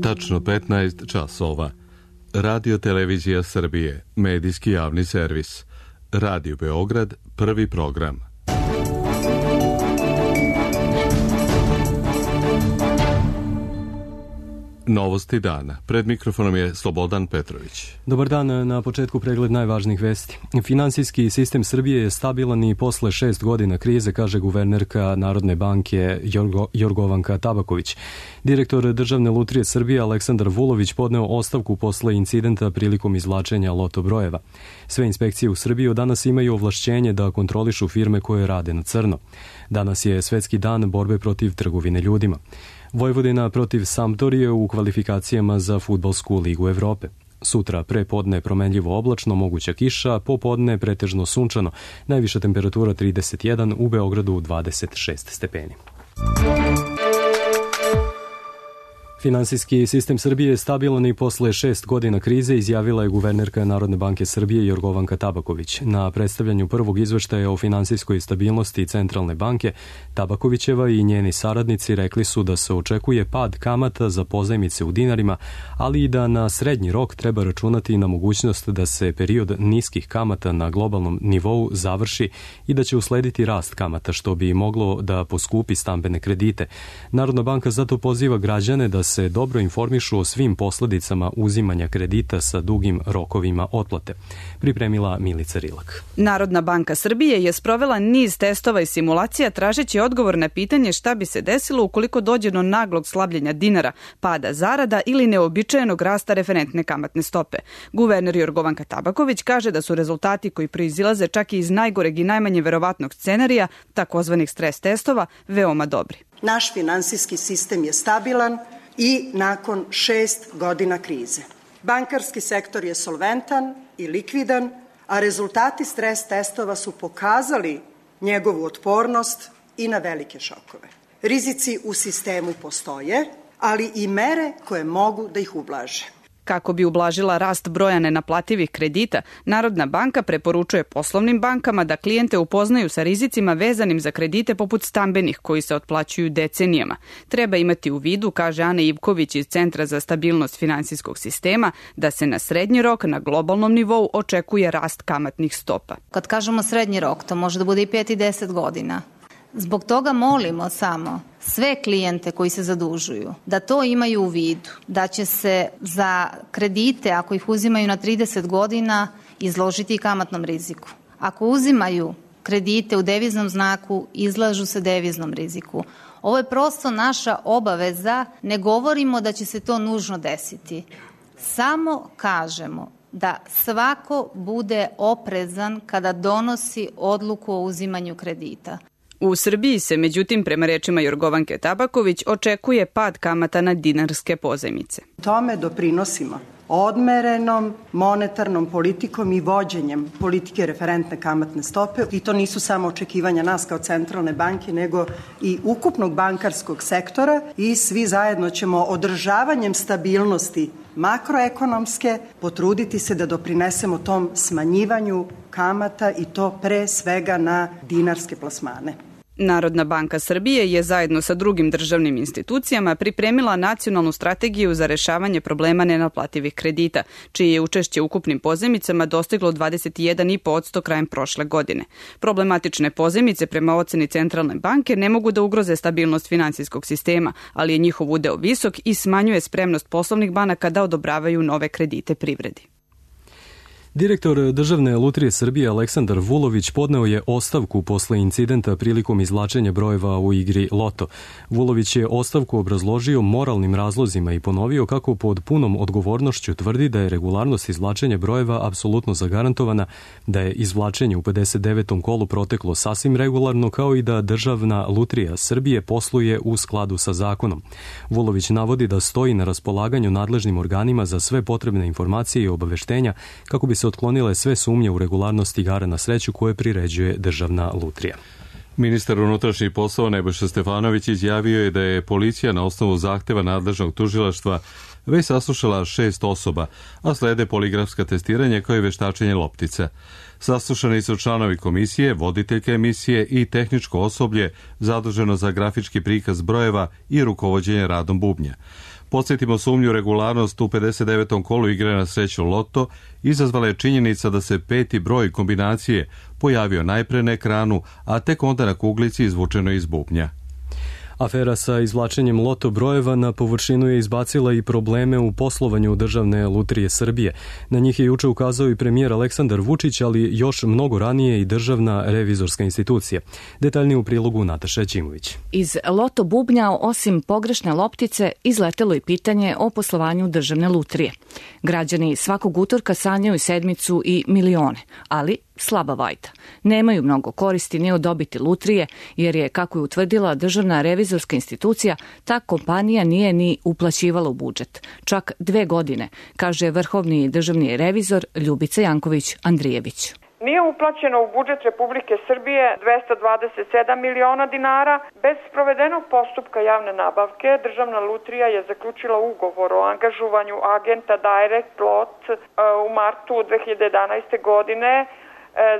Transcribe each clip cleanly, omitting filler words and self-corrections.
Tačno 15 časova. Radio Televizija Srbije, medijski javni servis. Radio Beograd, prvi program. Novosti dana. Pred mikrofonom je Slobodan Petrović. Dobar dan, na početku pregled najvažnijih vesti. Finansijski sistem Srbije je stabilan i posle 6 godina krize, kaže guvernerka Narodne banke Jorgovanka Tabaković. Direktor Državne lutrije Srbije Aleksandar Vulović podneo ostavku posle incidenta prilikom izvlačenja loto brojeva. Sve inspekcije u Srbiji od danas imaju ovlašćenje da kontrolišu firme koje rade na crno. Danas je Svetski dan borbe protiv trgovine ljudima. Vojvodina protiv Sampdorije u kvalifikacijama za fudbalsku ligu Evrope. Sutra pre podne promenljivo oblačno, moguća kiša, popodne pretežno sunčano, najviša temperatura 31, u Beogradu 26 stepeni. Finansijski sistem Srbije je stabilan i posle 6 godina krize, izjavila je guvernerka Narodne banke Srbije Jorgovanka Tabaković. Na predstavljanju prvog izveštaja o finansijskoj stabilnosti Centralne banke, Tabakovićeva i njeni saradnici rekli su da se očekuje pad kamata za pozajmice u dinarima, ali i da na srednji rok treba računati na mogućnost da se period niskih kamata na globalnom nivou završi i da će uslediti rast kamata, što bi moglo da poskupi stambene kredite. Narodna banka zato poziva građane da se dobro informišu o svim posledicama uzimanja kredita sa dugim rokovima otplate. Pripremila Milica Rilak. Narodna banka Srbije je sprovela niz testova i simulacija tražeći odgovor na pitanje šta bi se desilo ukoliko dođe do naglog slabljenja dinara, pada zarada ili neobičajenog rasta referentne kamatne stope. Guverner Jorgovanka Tabaković kaže da su rezultati koji proizilaze čak i iz najgoreg i najmanje verovatnog scenarija, takozvanih stres testova, veoma dobri. Naš finansijski sistem je stabilan i nakon 6 godina krize. Bankarski sektor je solventan i likvidan, a rezultati stres testova su pokazali njegovu otpornost i na velike šokove. Rizici u sistemu postoje, ali i mere koje mogu da ih ublaže. Kako bi ublažila rast broja nenaplativih kredita, Narodna banka preporučuje poslovnim bankama da klijente upoznaju sa rizicima vezanim za kredite poput stambenih koji se otplaćuju decenijama. Treba imati u vidu, kaže Ana Ivković iz Centra za stabilnost finansijskog sistema, da se na srednji rok na globalnom nivou očekuje rast kamatnih stopa. Kad kažemo srednji rok, to može da bude i 5 i 10 godina. Zbog toga molimo samo sve klijente koji se zadužuju da to imaju u vidu, da će se za kredite, ako ih uzimaju na 30 godina, izložiti kamatnom riziku. Ako uzimaju kredite u deviznom znaku, izlažu se deviznom riziku. Ovo je prosto naša obaveza, ne govorimo da će se to nužno desiti. Samo kažemo da svako bude oprezan kada donosi odluku o uzimanju kredita. U Srbiji se, međutim, prema rečima Jorgovanke Tabaković, očekuje pad kamata na dinarske pozajmice. Tome doprinosimo odmerenom monetarnom politikom i vođenjem politike referentne kamatne stope. I to nisu samo očekivanja nas kao centralne banke, nego i ukupnog bankarskog sektora i svi zajedno ćemo održavanjem stabilnosti makroekonomske potruditi se da doprinesemo tom smanjivanju kamata i to pre svega na dinarske plasmane. Narodna banka Srbije je zajedno sa drugim državnim institucijama pripremila nacionalnu strategiju za rešavanje problema nenaplativih kredita, čije je učešće u ukupnim pozajmicama dostiglo 21,5% krajem prošle godine. Problematične pozajmice prema oceni Centralne banke ne mogu da ugroze stabilnost finansijskog sistema, ali je njihov udeo visok i smanjuje spremnost poslovnih banaka da odobravaju nove kredite privredi. Direktor Državne lutrije Srbije Aleksandar Vulović podneo je ostavku posle incidenta prilikom izvlačenja brojeva u igri Loto. Vulović je ostavku obrazložio moralnim razlozima i ponovio kako pod punom odgovornošću tvrdi da je regularnost izvlačenja brojeva apsolutno zagarantovana, da je izvlačenje u 59. kolu proteklo sasvim regularno, kao i da Državna lutrija Srbije posluje u skladu sa zakonom. Vulović navodi da stoji na raspolaganju nadležnim organima za sve potrebne informacije i obaveštenja kako bi se otklonile sve sumnje u regularnost igara na sreću koje priređuje Državna lutrija. Ministar unutrašnjih poslova Nebojša Stefanović izjavio je da je policija na osnovu zahteva nadležnog tužilaštva već saslušala 6 osoba, a slede poligrafska testiranja kao i veštačenje loptica. Saslušani su članovi komisije, voditeljke emisije i tehničko osoblje zaduženo za grafički prikaz brojeva i rukovođenje radom bubnja. Podsjetimo, sumnju regularnost u 59. kolu igre na sreću Loto izazvala je činjenica da se 5. broj kombinacije pojavio najpre na ekranu, a tek onda na kuglici izvučeno iz bubnja. Afera sa izvlačenjem loto brojeva na površinu je izbacila i probleme u poslovanju Državne lutrije Srbije. Na njih je juče ukazao i premijer Aleksandar Vučić, ali još mnogo ranije i Državna revizorska institucija. Detaljnije u prilogu Nataša Ćimović. Iz loto bubnja, osim pogrešne loptice, izletelo i pitanje o poslovanju Državne lutrije. Građani svakog utorka sanjaju sedmicu i milione, ali slaba vajda. Nemaju mnogo koristi ni od dobiti lutrije, jer je, kako je utvrdila Državna revizorska institucija, ta kompanija nije ni uplaćivala u budžet. Čak 2 godine, kaže vrhovni državni revizor Ljubica Janković-Andrijević. Nije uplaćeno u budžet Republike Srbije 227 miliona dinara. Bez sprovedenog postupka javne nabavke, Državna lutrija je zaključila ugovor o angažovanju agenta Direct Lot u martu 2011. godine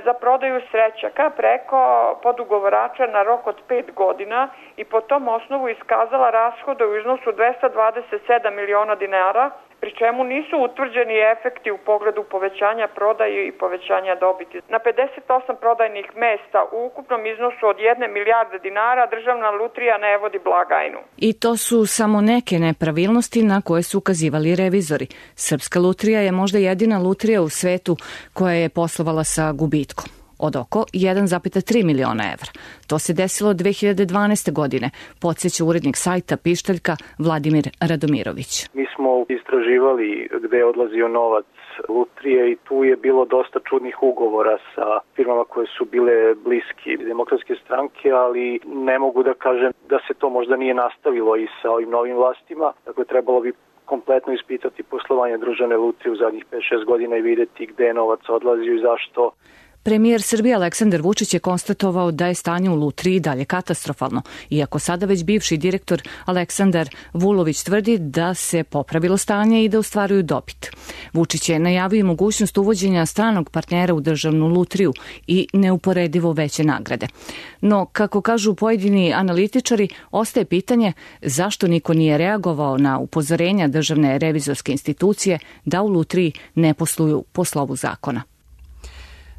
za prodaju srećaka preko podugovarača na rok od 5 godina i po tom osnovu iskazala rashode u iznosu 227 miliona dinara, pri čemu nisu utvrđeni efekti u pogledu povećanja prodaje i povećanja dobiti. Na 58 prodajnih mesta u ukupnom iznosu od 1 milijarde dinara Državna lutrija ne vodi blagajnu. I to su samo neke nepravilnosti na koje su ukazivali revizori. Srpska lutrija je možda jedina lutrija u svetu koja je poslovala sa gubitkom od oko 1,3 miliona evra. To se desilo 2012. godine, podsjeća urednik sajta Pištaljka Vladimir Radomirović. Mi smo istraživali gde je odlazio novac lutrije i tu je bilo dosta čudnih ugovora sa firmama koje su bile bliski Demokratske stranke, ali ne mogu da kažem da se to možda nije nastavilo i sa ovim novim vlastima. Dakle, trebalo bi kompletno ispitati poslovanje Državne lutrije u zadnjih 5-6 godina i videti gde je novac odlazio i zašto. Premijer Srbije Aleksandar Vučić je konstatovao da je stanje u lutriji dalje katastrofalno, iako sada već bivši direktor Aleksandar Vulović tvrdi da se popravilo stanje i da ostvaruju dobit. Vučić je najavio mogućnost uvođenja stranog partnera u Državnu lutriju i neuporedivo veće nagrade. No, kako kažu pojedini analitičari, ostaje pitanje zašto niko nije reagovao na upozorenja Državne revizorske institucije da u lutriji ne posluju po slovu zakona.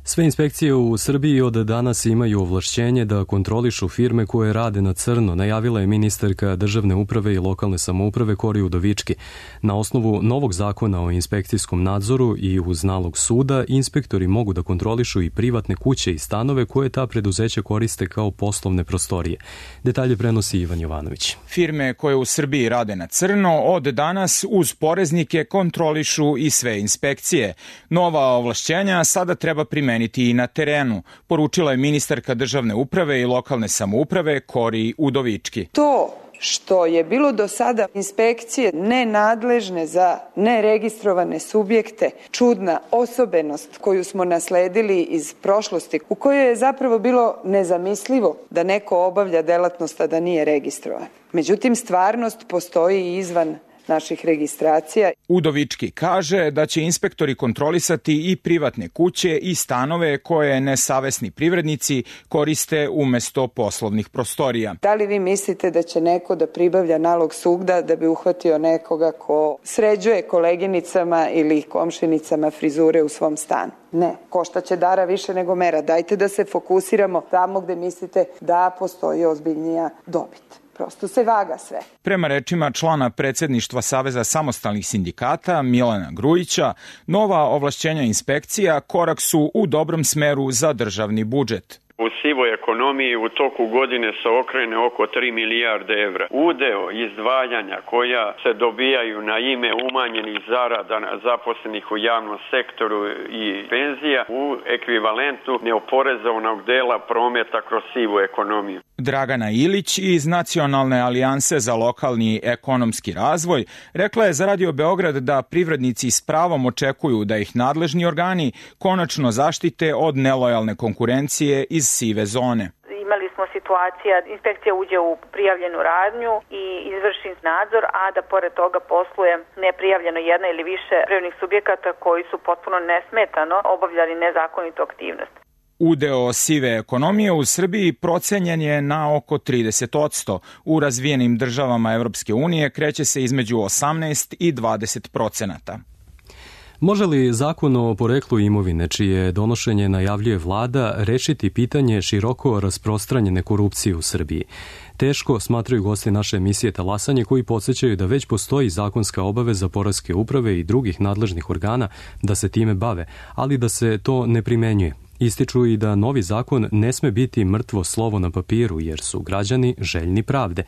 Sve inspekcije u Srbiji od danas imaju ovlašćenje da kontrolišu firme koje rade na crno, najavila je ministarka državne uprave i lokalne samouprave Kori Udovički. Na osnovu novog zakona o inspekcijskom nadzoru i uz nalog suda, inspektori mogu da kontrolišu i privatne kuće i stanove koje ta preduzeća koriste kao poslovne prostorije. Detalje prenosi Ivan Jovanović. Firme koje u Srbiji rade na crno od danas uz poreznike kontrolišu i sve inspekcije. Nova ovlašćenja sada treba primeniti i na terenu, poručila je ministarka državne uprave i lokalne samouprave Kori Udovički. To što je bilo do sada inspekcije nenadležne za neregistrovane subjekte, čudna osobenost koju smo nasledili iz prošlosti, u kojoj je zapravo bilo nezamislivo da neko obavlja delatnost a da nije registrovan. Međutim, stvarnost postoji i izvan naših registracija. Udovički kaže da će inspektori kontrolisati i privatne kuće i stanove koje nesavesni privrednici koriste umesto poslovnih prostorija. Da li vi mislite da će neko da pribavlja nalog suda da bi uhvatio nekoga ko sređuje koleginicama ili komšinicama frizure u svom stanu? Ne, košta će dara više nego mera. Dajte da se fokusiramo tamo gde mislite da postoji ozbiljnija dobit. Prosto se vaga sve. Prema rečima člana predsjedništva Saveza samostalnih sindikata Milana Grujića, nova ovlašćenja inspekcija korak su u dobrom smeru za državni budžet. U sivoj ekonomiji u toku godine se okrene oko 3 milijarde evra. Udeo izdvajanja koja se dobijaju na ime umanjenih zarada zaposlenih u javnom sektoru i penzija u ekvivalentu neoporezovanog dela prometa kroz sivu ekonomiju. Dragana Ilić iz Nacionalne alijanse za lokalni ekonomski razvoj rekla je za Radio Beograd da privrednici s pravom očekuju da ih nadležni organi konačno zaštite od nelojalne konkurencije iz sive zone. Imali smo situacija, inspekcija uđe u prijavljenu radnju i izvrši nadzor, a da pored toga posluje neprijavljeno jedna ili više privrednih subjekata koji su potpuno nesmetano obavljali nezakonitu aktivnost. Udeo sive ekonomije u Srbiji procenjen je na oko 30%. U razvijenim državama Evropske unije kreće se između 18 i 20%. Može li zakon o poreklu imovine, čije donošenje najavljuje vlada, rešiti pitanje široko rasprostranjene korupcije u Srbiji? Teško, smatraju gosti naše emisije Talasanje, koji podsjećaju da već postoji zakonska obaveza poreske uprave i drugih nadležnih organa da se time bave, ali da se to ne primenjuje. Ističu i da novi zakon ne sme biti mrtvo slovo na papiru, jer su građani željni pravde.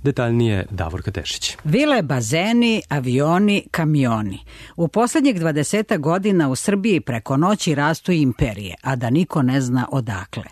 Detaljnije Davorka Tešić. Vile, bazeni, avioni, kamioni. U poslednjih 20 godina u Srbiji preko noći rastu imperije, a da niko ne zna odakle.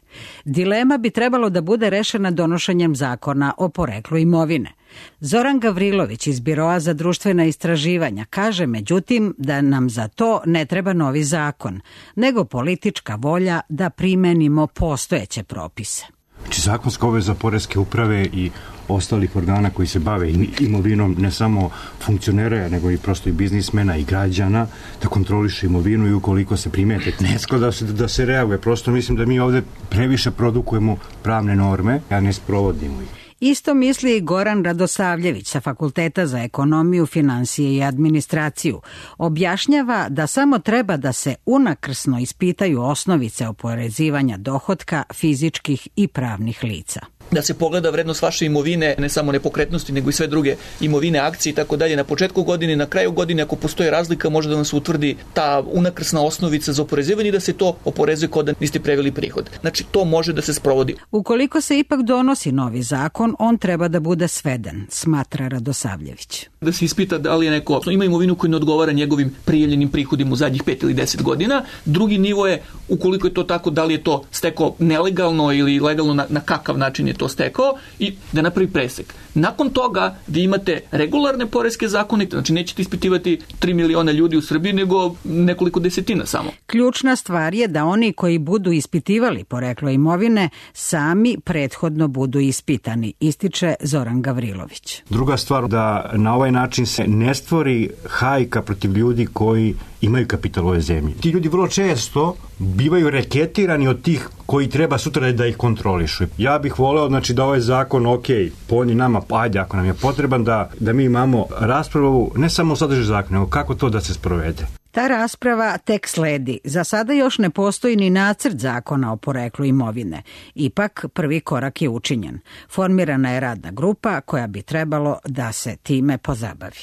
Dilema bi trebalo da bude rešena donošenjem zakona o poreklu imovine. Zoran Gavrilović iz Biroa za društvena istraživanja kaže međutim da nam za to ne treba novi zakon, nego politička volja da primenimo postojeće propise. Znači, zakonska obaveza poreske uprave i ostalih organa koji se bave imovinom, ne samo funkcionera, nego i prosto i biznismena i građana, da kontroliše imovinu i ukoliko se primete nesko da se reaguje. Prosto mislim da mi ovde previše produkujemo pravne norme, a ne sprovodimo ih. Isto misli i Goran Radosavljević sa Fakulteta za ekonomiju, finansije i administraciju. Objašnjava da samo treba da se unakrsno ispitaju osnovice oporezivanja dohotka fizičkih i pravnih lica. Da se pogleda vrednost vaše imovine, ne samo nepokretnosti, nego i sve druge imovine, akcije i tako dalje. Na početku godine, na kraju godine, ako postoji razlika, može da nam se utvrdi ta unakrsna osnovica za oporezivanje i da se to oporezuje kod da niste preveli prihod. Znači, to može da se sprovodi. Ukoliko se ipak donosi novi zakon, on treba da bude sveden, smatra Radosavljević. Da se ispita da li je neko ima imovinu koja ne odgovara njegovim prijavljenim prihodima u zadnjih 5 ili 10 godina. Drugi nivo je, ukoliko je to tako, da li je to stekao nelegalno ili legalno, na kakav način je to stekao, i da napravi presek. Nakon toga vi imate regularne poreske zakone, znači nećete ispitivati 3 miliona ljudi u Srbiji, nego nekoliko desetina samo. Ključna stvar je da oni koji budu ispitivali poreklo imovine sami prethodno budu ispitani, ističe Zoran Gavrilović. Druga stvar, da na ovaj način se ne stvori hajka protiv ljudi koji imaju kapital u ovoj zemlji. Ti ljudi vrlo često bivaju reketirani od tih koji treba sutra da ih kontrolišu. Ja bih voleo, znači, da ovaj zakon, po nama, ajde, ako nam je potreban, da mi imamo raspravu ne samo o sadržaju zakona, nego kako to da se sprovede. Ta rasprava tek sledi. Za sada još ne postoji ni nacrt zakona o poreklu imovine. Ipak prvi korak je učinjen. Formirana je radna grupa koja bi trebalo da se time pozabavi.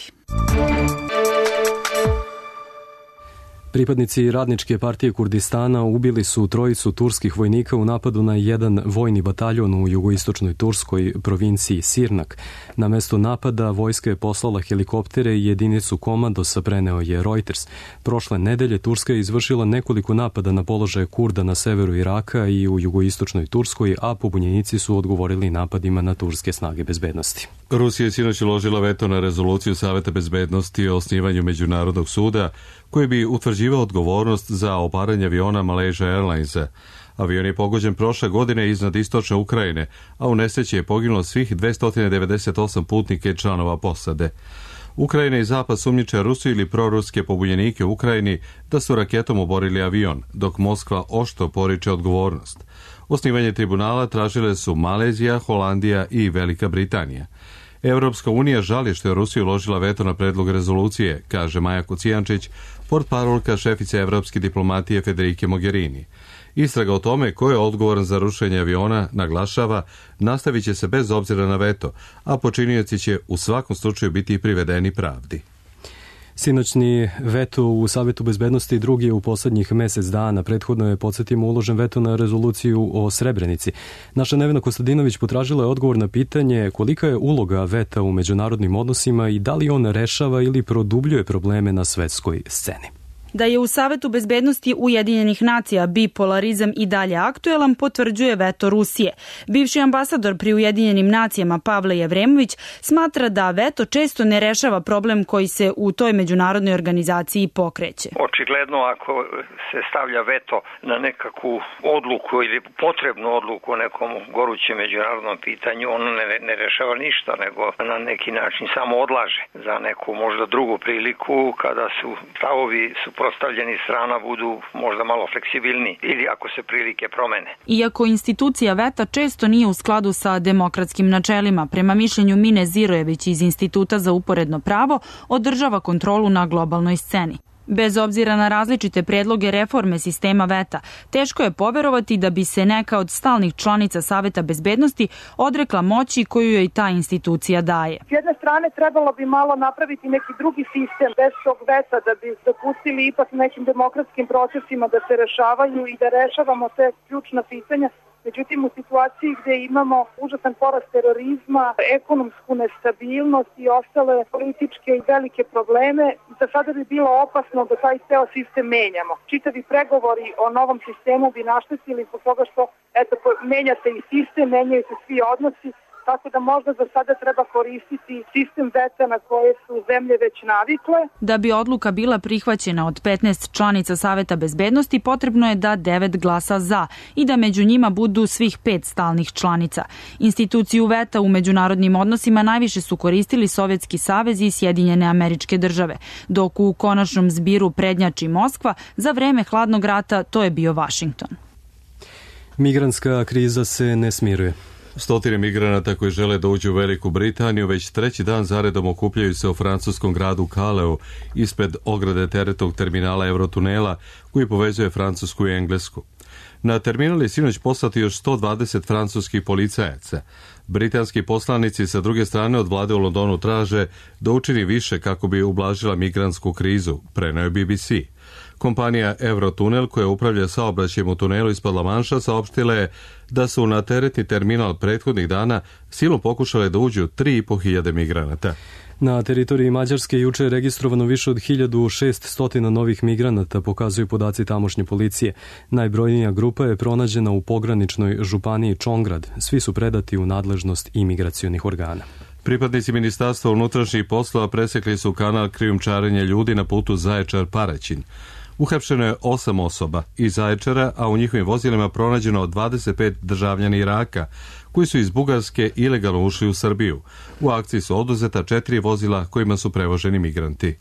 Pripadnici Radničke partije Kurdistana ubili su 3 turskih vojnika u napadu na jedan vojni bataljon u jugoistočnoj turskoj provinciji Sirnak. Na mesto napada vojska je poslala helikoptere i jedinicu komandosa, preneo je Reuters. Prošle nedelje Turska je izvršila nekoliko napada na položaje Kurda na severu Iraka i u jugoistočnoj Turskoj, a pobunjenici su odgovorili napadima na turske snage bezbednosti. Rusija je sinoć uložila veto na rezoluciju Saveta bezbednosti o osnivanju Međunarodnog suda koji bi utvrđivao odgovornost za obaranje aviona Malaysia Airlinesa. Avion je pogođen prošle godine iznad istočne Ukrajine, a u nesreći je poginulo svih 298 putnika i članova posade. Ukrajina i Zapad sumnjiče Rusiju ili proruske pobunjenike u Ukrajini da su raketom oborili avion, dok Moskva oštro poriče odgovornost. Osnivanje tribunala tražile su Malezija, Holandija i Velika Britanija. Evropska unija žali što je Rusija uložila veto na predlog rezolucije, kaže Maja Kocijančić, portparolka šefice evropske diplomatije Federike Mogherini. Istraga o tome ko je odgovoran za rušenje aviona, naglašava, nastavit će se bez obzira na veto, a počinioci će u svakom slučaju biti privedeni pravdi. Sinoćni veto u Savetu bezbednosti drugi je u poslednjih mesec dana. Prethodno je, podsjetimo, uložen veto na rezoluciju o Srebrenici. Naša Nevena Kostadinović potražila je odgovor na pitanje kolika je uloga veta u međunarodnim odnosima i da li on rešava ili produbljuje probleme na svetskoj sceni. Da je u Savetu bezbednosti Ujedinjenih nacija bipolarizam i dalje aktuelan, potvrđuje veto Rusije. Bivši ambasador pri Ujedinjenim nacijama Pavle Jevremović smatra da veto često ne rešava problem koji se u toj međunarodnoj organizaciji pokreće. Očigledno, ako se stavlja veto na nekakvu odluku ili potrebnu odluku o nekom gorućem međunarodnom pitanju, ono ne rešava ništa, nego na neki način samo odlaže za neku možda drugu priliku kada su stavovi suprotstavljeni strana budu možda malo fleksibilni ili ako se prilike promene. Iako institucija VETA često nije u skladu sa demokratskim načelima, prema mišljenju Mine Zirojević iz Instituta za uporedno pravo, održava kontrolu na globalnoj sceni. Bez obzira na različite predloge reforme sistema VETA, teško je poverovati da bi se neka od stalnih članica Saveta bezbednosti odrekla moći koju joj ta institucija daje. S jedne strane trebalo bi malo napraviti neki drugi sistem bez tog VETA da bi dopustili ipak nekim demokratskim procesima da se rešavaju i da rešavamo te ključna pitanja. Međutim, u situaciji gde imamo užasan porast terorizma, ekonomsku nestabilnost i ostale političke i velike probleme, za sada bi bilo opasno da taj ceo sistem menjamo. Čitavi pregovori o novom sistemu bi naštetili zbog toga što menja se i sistem, menjaju se svi odnosi, tako da možda za sada treba koristiti sistem VETA na koje su zemlje već navikle. Da bi odluka bila prihvaćena od 15 članica Saveta bezbednosti, potrebno je da 9 glasa za i da među njima budu svih 5 stalnih članica. Instituciju VETA u međunarodnim odnosima najviše su koristili Sovjetski savez i Sjedinjene Američke Države, dok u konačnom zbiru prednjači Moskva, za vreme hladnog rata to je bio Vašington. Migrantska kriza se ne smiruje. Stotine migranata koji žele da uđu u Veliku Britaniju već treći dan zaredom okupljaju se u francuskom gradu Caleu ispred ograde teretnog terminala Eurotunela koji povezuje Francusku i Englesku. Na terminal je sinoć poslati još 120 francuskih policajaca. Britanski poslanici sa druge strane od vlade u Londonu traže da učini više kako bi ublažila migrantsku krizu, preneo je BBC. Kompanija Eurotunel, koja upravlja saobraćajem u tunelu ispod La Manša, saopštila je da su na teretni terminal prethodnih dana silom pokušale da uđu 3.500 migranata. Na teritoriji Mađarske juče je registrovano više od 1600 novih migranata, pokazuju podaci tamošnje policije. Najbrojnija grupa je pronađena u pograničnoj županiji Čongrad. Svi su predati u nadležnost imigracionih organa. Pripadnici Ministarstva unutrašnjih poslova presekli su kanal krijumčarenja ljudi na putu Zaječar-Paraćin. Uhapšeno je 8 osoba iz Zaječara, a u njihovim vozilima pronađeno 25 državljana Iraka, koji su iz Bugarske ilegalno ušli u Srbiju. U akciji su oduzeta 4 vozila kojima su prevoženi migranti.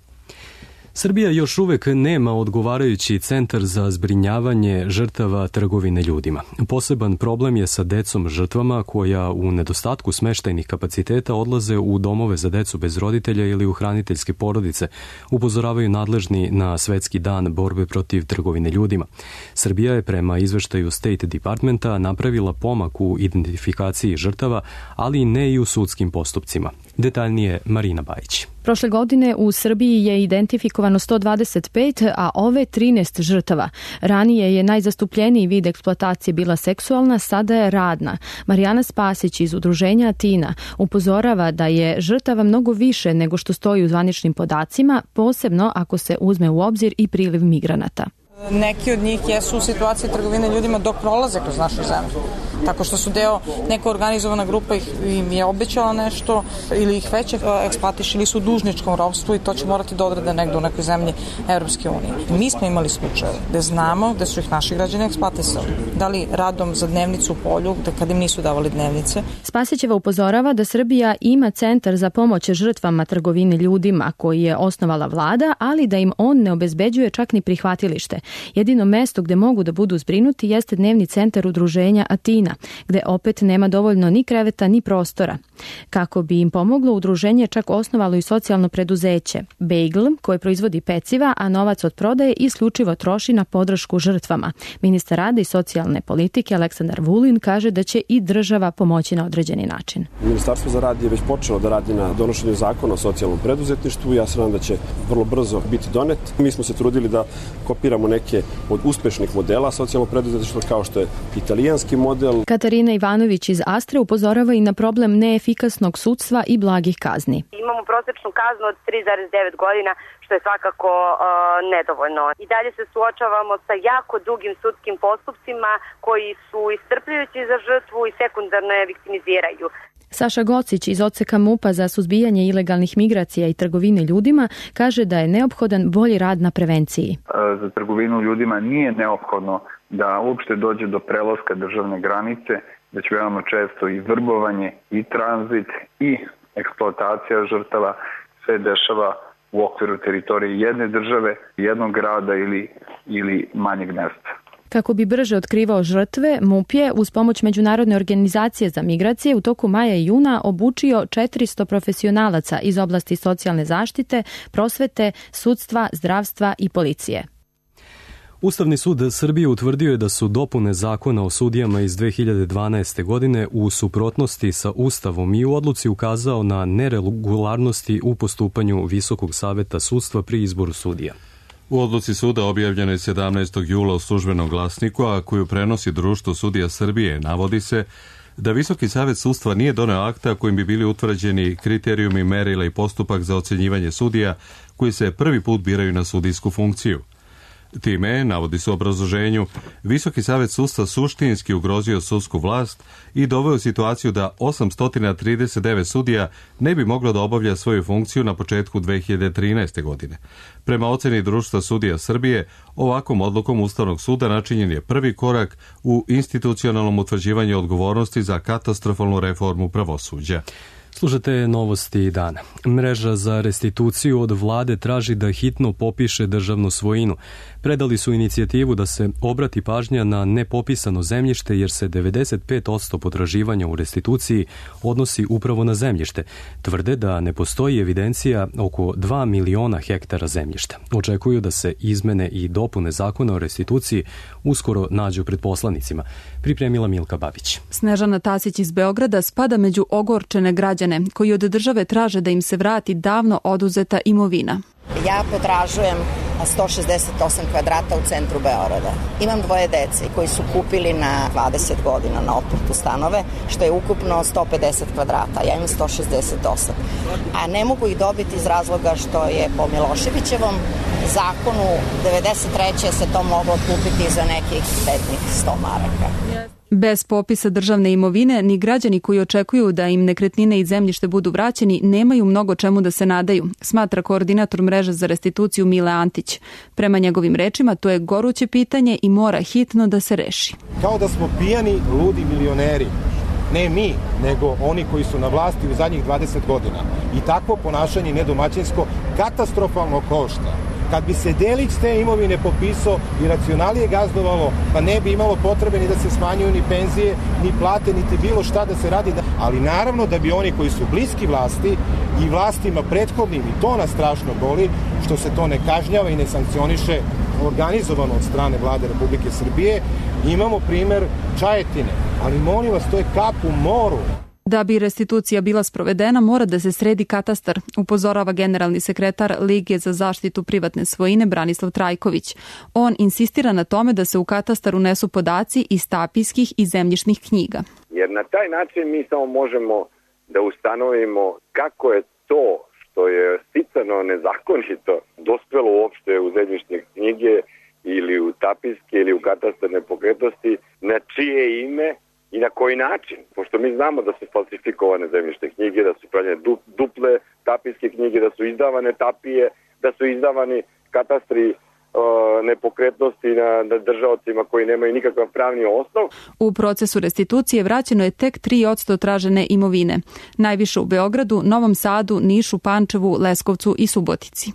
Srbija još uvek nema odgovarajući centar za zbrinjavanje žrtava trgovine ljudima. Poseban problem je sa decom žrtvama koja u nedostatku smeštajnih kapaciteta odlaze u domove za decu bez roditelja ili u hraniteljske porodice, upozoravaju nadležni na Svetski dan borbe protiv trgovine ljudima. Srbija je prema izveštaju State Departmenta napravila pomak u identifikaciji žrtava, ali ne i u sudskim postupcima. Detaljnije Marina Bajić. Prošle godine u Srbiji je identifikovano 125, a ove 13 žrtava. Ranije je najzastupljeniji vid eksploatacije bila seksualna, sada je radna. Marijana Spasić iz udruženja Atina upozorava da je žrtava mnogo više nego što stoji u zvaničnim podacima, posebno ako se uzme u obzir i priliv migranata. Neki od njih jesu u situaciji trgovine ljudima dok prolaze kroz našu zemlju. Tako što su deo, neka organizovana grupa im je obećala nešto ili ih već eksploatiše ili su u dužničkom ropstvu i to će morati da odrade negde u nekoj zemlji Evropske unije. Mi smo imali slučaje gde znamo gde su ih naši građani eksploatisali. Da li radom za dnevnicu u polju, kad im nisu davali dnevnice. Spasićeva upozorava da Srbija ima centar za pomoć žrtvama trgovine ljudima koji je osnovala vlada, ali da im on ne obezbeđuje čak ni prihvatilište. Jedino mesto gde mogu da budu zbrinuti jeste dnevni centar udruženja Atina, gde opet nema dovoljno ni kreveta ni prostora. Kako bi im pomoglo, udruženje čak osnovalo i socijalno preduzeće Bagel, koje proizvodi peciva, a novac od prodaje isključivo troši na podršku žrtvama. Ministar rada i socijalne politike Aleksandar Vulin kaže da će i država pomoći na određeni način. Ministarstvo za rad je već počelo da radi na donošenju zakona o socijalnom preduzetništvu. Ja se nadam da će vrlo brzo biti donet. Mi smo se trudili da kopiramo neke od uspešnih modela socijalnog preduzetništva kao što je italijanski model. Katarina Ivanović iz Astre upozorava i na problem neefikasnog sudstva i blagih kazni. Imamo prosečnu kaznu od 3,9 godina, što je svakako nedovoljno. I dalje se suočavamo sa jako dugim sudskim postupcima koji su iscrpljujući za žrtvu i sekundarno je viktimiziraju. Saša Gocić iz odseka MUP-a za suzbijanje ilegalnih migracija i trgovine ljudima kaže da je neophodan bolji rad na prevenciji. Za trgovinu ljudima nije neophodno da uopšte dođe do prelaska državne granice, već veoma često i vrbovanje, i tranzit, i eksploatacija žrtava sve dešava u okviru teritorije jedne države, jednog grada ili manjeg mesta. Kako bi brže otkrivao žrtve, MUP je uz pomoć Međunarodne organizacije za migracije u toku maja i juna obučio 400 profesionalaca iz oblasti socijalne zaštite, prosvete, sudstva, zdravstva i policije. Ustavni sud Srbije utvrdio je da su dopune zakona o sudijama iz 2012. godine u suprotnosti sa Ustavom i u odluci ukazao na neregularnosti u postupanju Visokog saveta sudstva pri izboru sudija. U odluci suda objavljeno je 17. jula u Službenom glasniku, a koju prenosi Društvo sudija Srbije, navodi se da Visoki savet sudstva nije doneo akta kojim bi bili utvrđeni kriterijumi, merila i postupak za ocjenjivanje sudija koji se prvi put biraju na sudijsku funkciju. Time, navodi se u obrazloženju, Visoki savet sudstva suštinski ugrozio sudsku vlast i doveo u situaciju da 839 sudija ne bi moglo da obavlja svoju funkciju na početku 2013. godine. Prema oceni Društva sudija Srbije, ovakvom odlukom Ustavnog suda načinjen je prvi korak u institucionalnom utvrđivanju odgovornosti za katastrofalnu reformu pravosuđa. Slušate novosti dana. Mreža za restituciju od vlade traži da hitno popiše državnu svojinu. Predali su inicijativu da se obrati pažnja na nepopisano zemljište jer se 95% potraživanja u restituciji odnosi upravo na zemljište. Tvrde da ne postoji evidencija oko 2 miliona hektara zemljišta. Očekuju da se izmene i dopune zakona o restituciji uskoro nađu pred poslanicima. Pripremila Milka Babić. Snežana Tasić iz Beograda spada među ogorčene građane koji od države traže da im se vrati davno oduzeta imovina. Ja potražujem 168 kvadrata u centru Beograda. Imam 2 dece koji su kupili na 20 godina na otplatu stanove, što je ukupno 150 kvadrata. Ja imam 168. A ne mogu ih dobiti iz razloga što je po Miloševićevom zakonu 93. se to moglo kupiti za nekih 100 maraka. Bez popisa državne imovine, ni građani koji očekuju da im nekretnine i zemljište budu vraćeni nemaju mnogo čemu da se nadaju, smatra koordinator mreže za restituciju Mile Antić. Prema njegovim rečima, to je goruće pitanje i mora hitno da se reši. Kao da smo pijani, ludi milioneri. Ne mi, nego oni koji su na vlasti u zadnjih 20 godina. I takvo ponašanje nedomaćinsko katastrofalno košta. Kad bi se delić te imovine popisao i racionalije gazdovalo, pa ne bi imalo potrebe ni da se smanjuju ni penzije, ni plate, niti bilo šta da se radi. Ali naravno da bi oni koji su bliski vlasti i vlastima prethodnim, i to nas strašno boli, što se to ne kažnjava i ne sankcioniše organizovano od strane vlade Republike Srbije, imamo primer Čajetine. Ali molim vas, to je kap u moru. Da bi restitucija bila sprovedena, mora da se sredi katastar, upozorava generalni sekretar Lige za zaštitu privatne svojine Branislav Trajković. On insistira na tome da se u katastar unesu podaci iz tapijskih i zemljišnih knjiga. Jer na taj način mi samo možemo da ustanovimo kako je to što je sticano nezakonito dospelo uopšte u zemljišne knjige ili u tapijske ili u katastar nepokretnosti, na čije ime i na koji način, pošto mi znamo da su falsifikovane zemljišne knjige, da su pravljene duple tapijske knjige, da su izdavane tapije, da su izdavani katastri nepokretnosti na držaocima koji nemaju nikakav pravni osnov. U procesu restitucije vraćeno je tek 3% tražene imovine. Najviše u Beogradu, Novom Sadu, Nišu, Pančevu, Leskovcu i Subotici.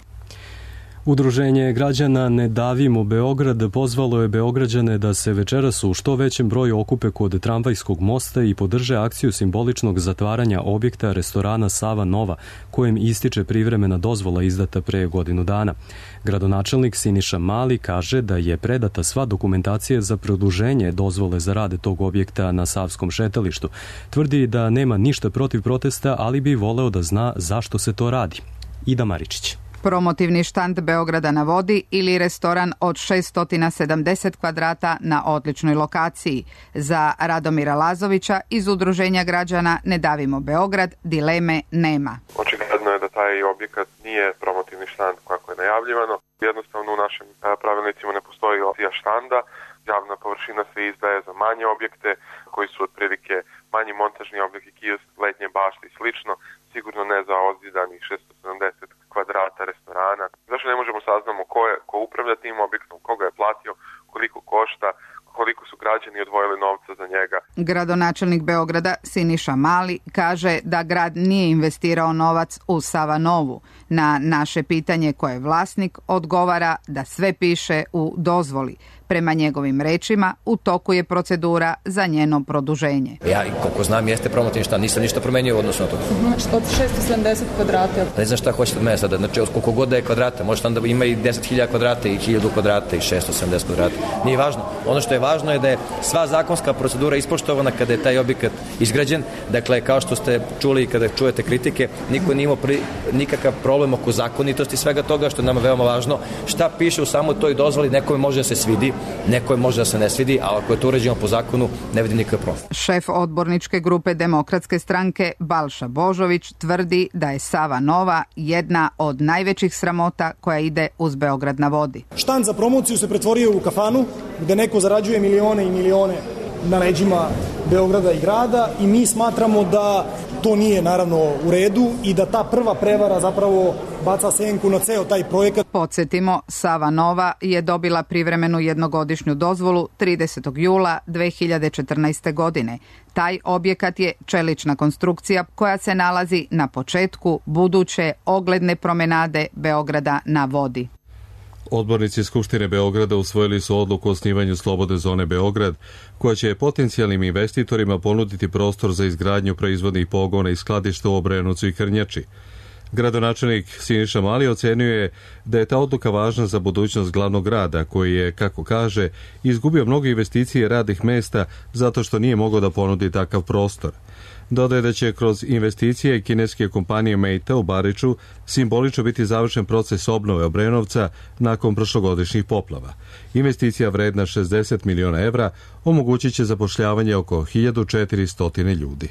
Udruženje građana Ne davimo Beograd pozvalo je Beograđane da se večeras u što većem broju okupe kod tramvajskog mosta i podrže akciju simboličnog zatvaranja objekta restorana Sava Nova, kojem ističe privremena dozvola izdata pre godinu dana. Gradonačelnik Siniša Mali kaže da je predata sva dokumentacija za produženje dozvole za rade tog objekta na Savskom šetalištu. Tvrdi da nema ništa protiv protesta, ali bi voleo da zna zašto se to radi. Ida Maričić. Promotivni štand Beograda na vodi ili restoran od 670 kvadrata na odličnoj lokaciji. Za Radomira Lazovića iz Udruženja građana Ne davimo Beograd dileme nema. Očigledno je da taj objekat nije promotivni štand kako je najavljivano. Jednostavno u našim pravilnicima ne postoji opcija štanda. Javna površina se izdaje za manje objekte koji su otprilike manji montažni objekti, kiosk, letnje bašte i slično. Sigurno ne za ozidani 670 kvadrata restorana. Zašto ne možemo saznamo ko upravlja tim objektom, koga je platio, koliko košta, koliko su građani odvojili novca za njega. Gradonačelnik Beograda Siniša Mali kaže da grad nije investirao novac u Sava Novu. Na naše pitanje ko je vlasnik odgovara da sve piše u dozvoli. Prema njegovim rečima, u toku je procedura za njeno produženje. Ja, koliko znam, jeste promotivni štan, nisam ništa promenio u odnosu na to. Znači, od 670 kvadrata. Ne znam šta hoćete od mene sada, znači od koliko god da je kvadrata, može tam da ima i 10.000 kvadrata i 1.000 kvadrata i 670 kvadrata. Nije važno. Ono što je važno je da je sva zakonska procedura ispoštovana kada je taj objekat izgrađen. Dakle, kao što ste čuli kada čujete kritike, niko nije imao nikakav problem oko zakonitosti svega toga, što je nama veoma važno. Šta piše u samoj toj dozvoli, nekome može da se svidi, nekoj može da se ne svidi, ali ako je to uređeno po zakonu, ne vidi nikakav problem. Šef odborničke grupe Demokratske stranke Balša Božović tvrdi da je Sava Nova jedna od najvećih sramota koja ide uz Beograd na vodi. Štand za promociju se pretvorio u kafanu gde neko zarađuje milione i milione na leđima Beograda i grada i mi smatramo da to nije naravno u redu i da ta prva prevara zapravo baca senku na ceo taj projekat. Podsjetimo, Sava Nova je dobila privremenu jednogodišnju dozvolu 30. jula 2014. godine. Taj objekat je čelična konstrukcija koja se nalazi na početku buduće ogledne promenade Beograda na vodi. Odbornici Skupštine Beograda usvojili su odluku o osnivanju Slobodne zone Beograd, koja će potencijalnim investitorima ponuditi prostor za izgradnju proizvodnih pogona i skladišta u Obrenovcu i Krnjači. Gradonačelnik Siniša Mali ocenjuje da je ta odluka važna za budućnost glavnog grada, koji je, kako kaže, izgubio mnogo investicije radnih mesta zato što nije mogao da ponudi takav prostor. Dodaje da će kroz investicije kineske kompanije Meita u Bariču simbolično biti završen proces obnove Obrenovca nakon prošlogodišnjih poplava. Investicija vredna 60 miliona evra omogućit će zapošljavanje oko 1400 ljudi.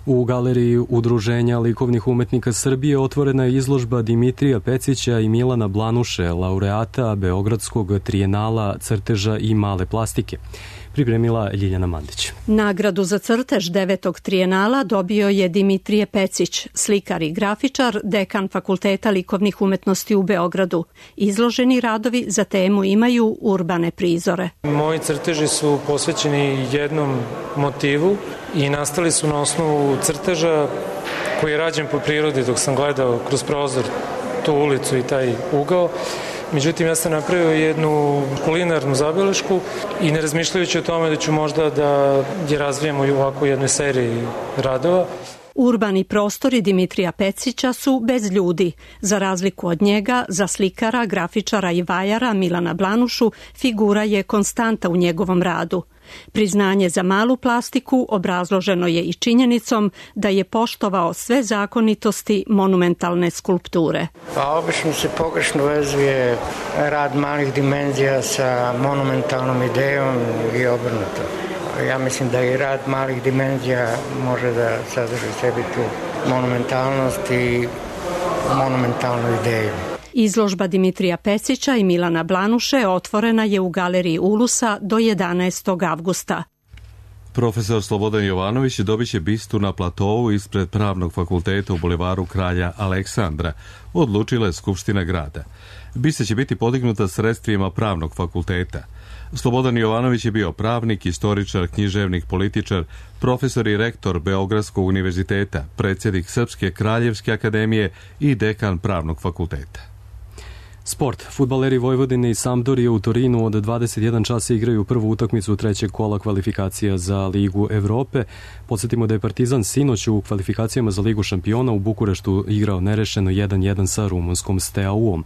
U galeriji Udruženja likovnih umetnika Srbije otvorena je izložba Dimitrija Pecića i Milana Blanuše, laureata Beogradskog trijenala crteža i male plastike. Pripremila Ljiljana Mandić. Nagradu za crtež 9. trijenala dobio je Dimitrije Pecić, slikar i grafičar, dekan Fakulteta likovnih umetnosti u Beogradu. Izloženi radovi za temu imaju urbane prizore. Moji crteži su posvećeni jednom motivu i nastali su na osnovu crteža koji je rađen po prirodi dok sam gledao kroz prozor tu ulicu i taj ugao. Međutim, ja sam napravio jednu kulinarnu zabelešku i ne razmišljajući o tome da ću možda da je razvijem u ovako jednoj seriji radova. Urbani prostori Dimitrija Pecića su bez ljudi. Za razliku od njega, za slikara, grafičara i vajara Milana Blanušu, figura je konstanta u njegovom radu. Priznanje za malu plastiku obrazloženo je i činjenicom da je poštovao sve zakonitosti monumentalne skulpture. Obično se pogrešno vezuje rad malih dimenzija sa monumentalnom idejom i obrnuto. Ja mislim da i rad malih dimenzija može da sadrži sebi tu monumentalnost i monumentalnu ideju. Izložba Dimitrija Pecića i Milana Blanuše otvorena je u galeriji Ulusa do 11. avgusta. Profesor Slobodan Jovanović dobit će bistu na platovu ispred Pravnog fakulteta u bulevaru Kralja Aleksandra, odlučila je Skupština grada. Bista će biti podignuta sredstvima Pravnog fakulteta. Slobodan Jovanović je bio pravnik, istoričar, književnik, političar, profesor i rektor Beogradskog univerziteta, predsjednik Srpske kraljevske akademije i dekan Pravnog fakulteta. Sport. Fudbaleri Vojvodine i Sampdorije u Torinu od 21 časa igraju prvu utakmicu trećeg kola kvalifikacija za Ligu Evrope. Podsjetimo da je Partizan sinoć u kvalifikacijama za Ligu šampiona u Bukureštu igrao nerešeno 1-1 sa rumunskom Steaua-om.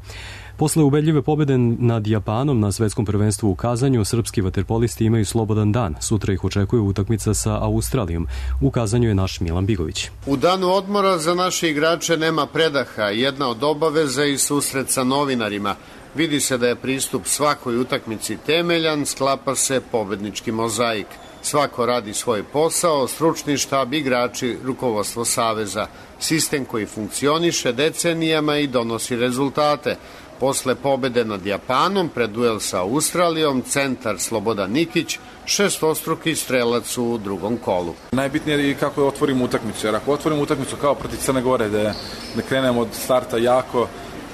Posle ubedljive pobjede nad Japanom na svetskom prvenstvu u Kazanju, srpski vaterpolisti imaju slobodan dan. Sutra ih očekuje utakmica sa Australijom. U Kazanju je naš Milan Bigović. U danu odmora za naše igrače nema predaha. Jedna od obaveza i susret sa novinarima. Vidi se da je pristup svakoj utakmici temeljan, sklapa se pobednički mozaik. Svako radi svoj posao, stručni štab, igrači, rukovodstvo saveza. Sistem koji funkcioniše decenijama i donosi rezultate. Posle pobede nad Japanom, pred duel sa Australijom, centar Slobodan Nikić, šestostruki strelac u drugom kolu. Najbitnije je kako otvorimo utakmicu, jer ako otvorimo utakmicu kao protiv Crne Gore, da krenemo od starta jako,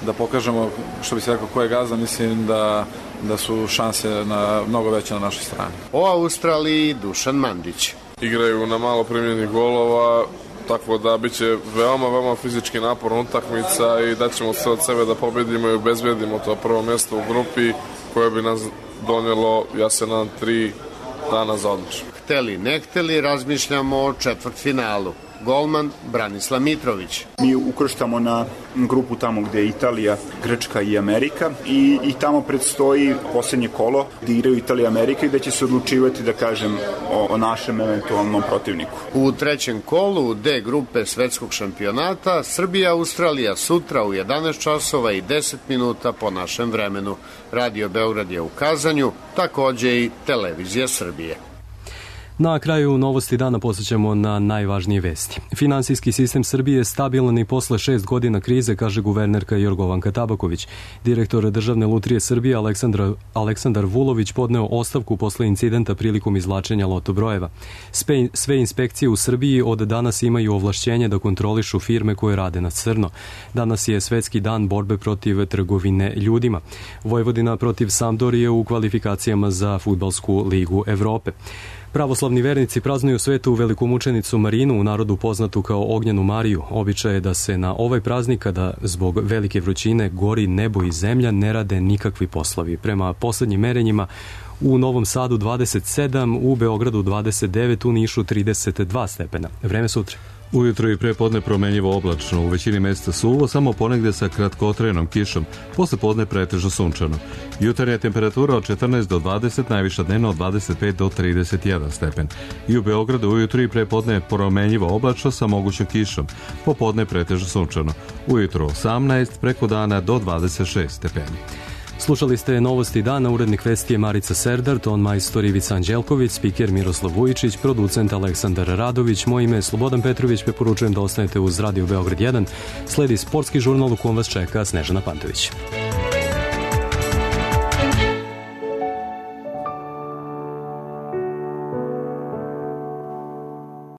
da pokažemo, što bi se rekao, ko je gazda, mislim da su šanse mnogo veće na našoj strani. O Australiji Dušan Mandić. Igraju na malo primljenih golova, tako da biće veoma fizički naporna utakmica i daćemo sve od sebe da pobedimo i obezbedimo to prvo mjesto u grupi koje bi nas donijelo, ja se nadam, 3 dana za odmor. Hteli ne hteli, razmišljamo o četvrtfinalu. Golman Branislav Mitrović. Mi ukrštamo na grupu tamo gde je Italija, Grčka i Amerika i tamo predstoji posljednje kolo gde igraju Italija i Amerika i da će se odlučivati, da kažem, o našem eventualnom protivniku. U trećem kolu D grupe svetskog šampionata Srbija-Australija sutra u 11 časova i 10 minuta po našem vremenu. Radio Beograd je u Kazanju, takođe i Televizija Srbije. Na kraju novosti dana posjećamo na najvažnije vesti. Finansijski sistem Srbije je stabilan i posle 6 godina krize, kaže guvernerka Jorgovanka Tabaković. Direktor Državne lutrije Srbije Aleksandar Vulović podneo ostavku posle incidenta prilikom izvlačenja loto brojeva. Sve inspekcije u Srbiji od danas imaju ovlašćenje da kontrolišu firme koje rade na crno. Danas je svetski dan borbe protiv trgovine ljudima. Vojvodina protiv Sampdorije u kvalifikacijama za Fudbalsku ligu Evrope. Pravoslavni vernici praznuju svetu velikomučenicu Marinu, u narodu poznatu kao Ognjenu Mariju. Običaj je da se na ovaj praznik, kada zbog velike vrućine gori nebo i zemlja, ne rade nikakvi poslovi. Prema poslednjim merenjima, u Novom Sadu 27, u Beogradu 29, u Nišu 32 stepena. Vreme sutra. Ujutro i prepodne promenljivo oblačno, u većini mesta suvo, samo ponegde sa kratkotrenom kišom, posle podne pretežno sunčano. Jutarnja temperatura od 14 do 20, najviša dnevno od 25 do 31 stepen. I u Beogradu ujutro i prepodne promenljivo oblačno sa mogućom kišom, popodne pretežno sunčano. Ujutro 18, preko dana do 26 stepeni. Slušali ste novosti dana, urednik vesti je Marica Serdar, ton majstor Ivica Anđelković, spiker Miroslav Vujičić, producent Aleksandar Radović, moje ime je Slobodan Petrović, preporučujem da ostanete uz Radio Beograd 1. Sledi sportski žurnal u kom vas čeka Snežana Pantović.